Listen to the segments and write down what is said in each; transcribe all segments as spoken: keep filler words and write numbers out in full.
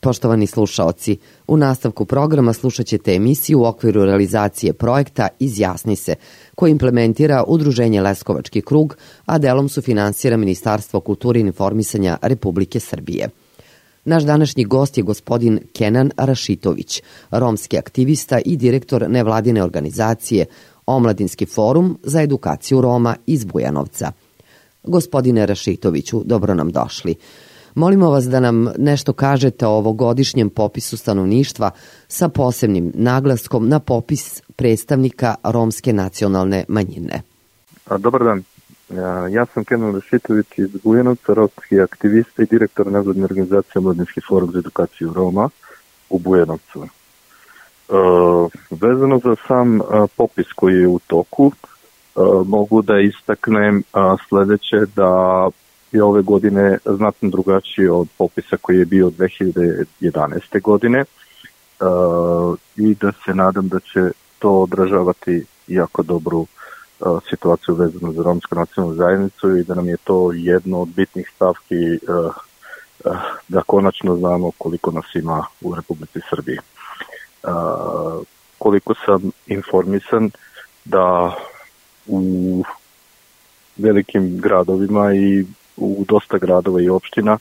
Poštovani slušaoci, u nastavku programa slušat ćete emisiju u okviru realizacije projekta Izjasni se, koji implementira Udruženje Leskovački krug, a delom sufinansira Ministarstvo kulture i informisanja Republike Srbije. Naš današnji gost je gospodin Kenan Rašitović, romski aktivista i direktor nevladine organizacije Omladinski forum za edukaciju Roma iz Bujanovca. Gospodine Rašitoviću, dobro nam došli. Molimo vas da nam nešto kažete o ovogodišnjem popisu stanovništva sa posebnim naglaskom na popis predstavnika romske nacionalne manjine. Dobar dan. Ja sam Kenan Rašitović iz Bujanovca, romski aktivista i direktor nevladine organizacije Omladinski forum za edukaciju Roma u Bujanovcu. E, vezano za sam popis koji je u toku, e, mogu da istaknem sledeće, da je ove godine znatno drugačiji od popisa koji je bio dve hiljade jedanaeste. godine e, i da se nadam da će to odražavati jako dobru e, situaciju vezanu za romsku nacionalnu zajednicu i da nam je to jedno od bitnih stavki e, e, da konačno znamo koliko nas ima u Republici Srbiji. E, koliko sam informisan da u velikim gradovima i u dosta gradova i opština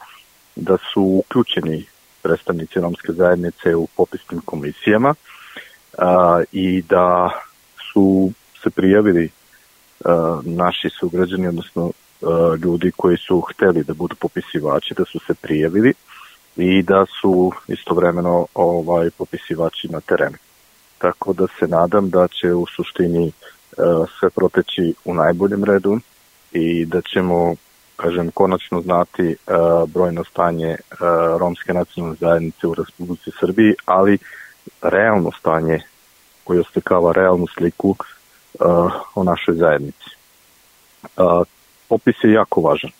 da su uključeni predstavnici romske zajednice u popisnim komisijama a, i da su se prijavili a, naši sugrađani, odnosno a, ljudi koji su hteli da budu popisivači, da su se prijavili i da su istovremeno ovaj, popisivači na terenu. Tako da se nadam da će u suštini a, sve proteći u najboljem redu i da ćemo, kažem, konačno znati uh, brojno stanje uh, romske nacionalne zajednice u Republici Srbiji, ali realno stanje koje oslikava realnu sliku uh, o našoj zajednici. Uh, popis je jako važan.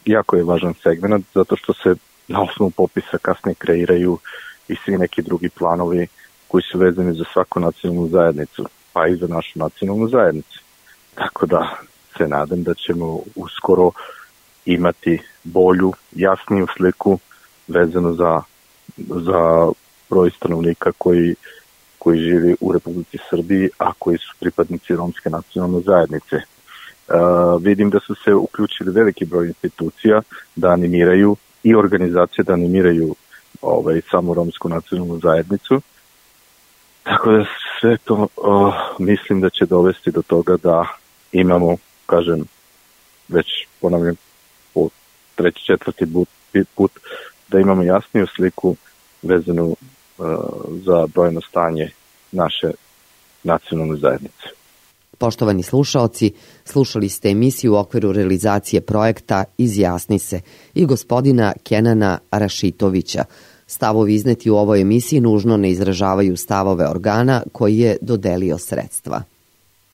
Jako je važan segment, zato što se na osnovu popisa kasnije kreiraju i svi neki drugi planovi koji su vezani za svaku nacionalnu zajednicu, pa i za našu nacionalnu zajednicu. Tako da se nadam da ćemo uskoro imati bolju, jasniju sliku vezano za, za broj stanovnika koji, koji živi u Republici Srbiji, a koji su pripadnici romske nacionalne zajednice. Uh, vidim da su se uključili veliki broj institucija da animiraju i organizacije da animiraju ovaj, samu romsku nacionalnu zajednicu. Tako da sve to uh, mislim da će dovesti do toga da imamo, kažem, već ponavljam po treći, četvrti put, put da imamo jasniju sliku vezanu uh, za brojno stanje naše nacionalne zajednice. Poštovani slušaoci, slušali ste emisiju u okviru realizacije projekta Izjasni se i gospodina Kenana Rašitovića. Stavovi izneti u ovoj emisiji nužno ne izražavaju stavove organa koji je dodelio sredstva.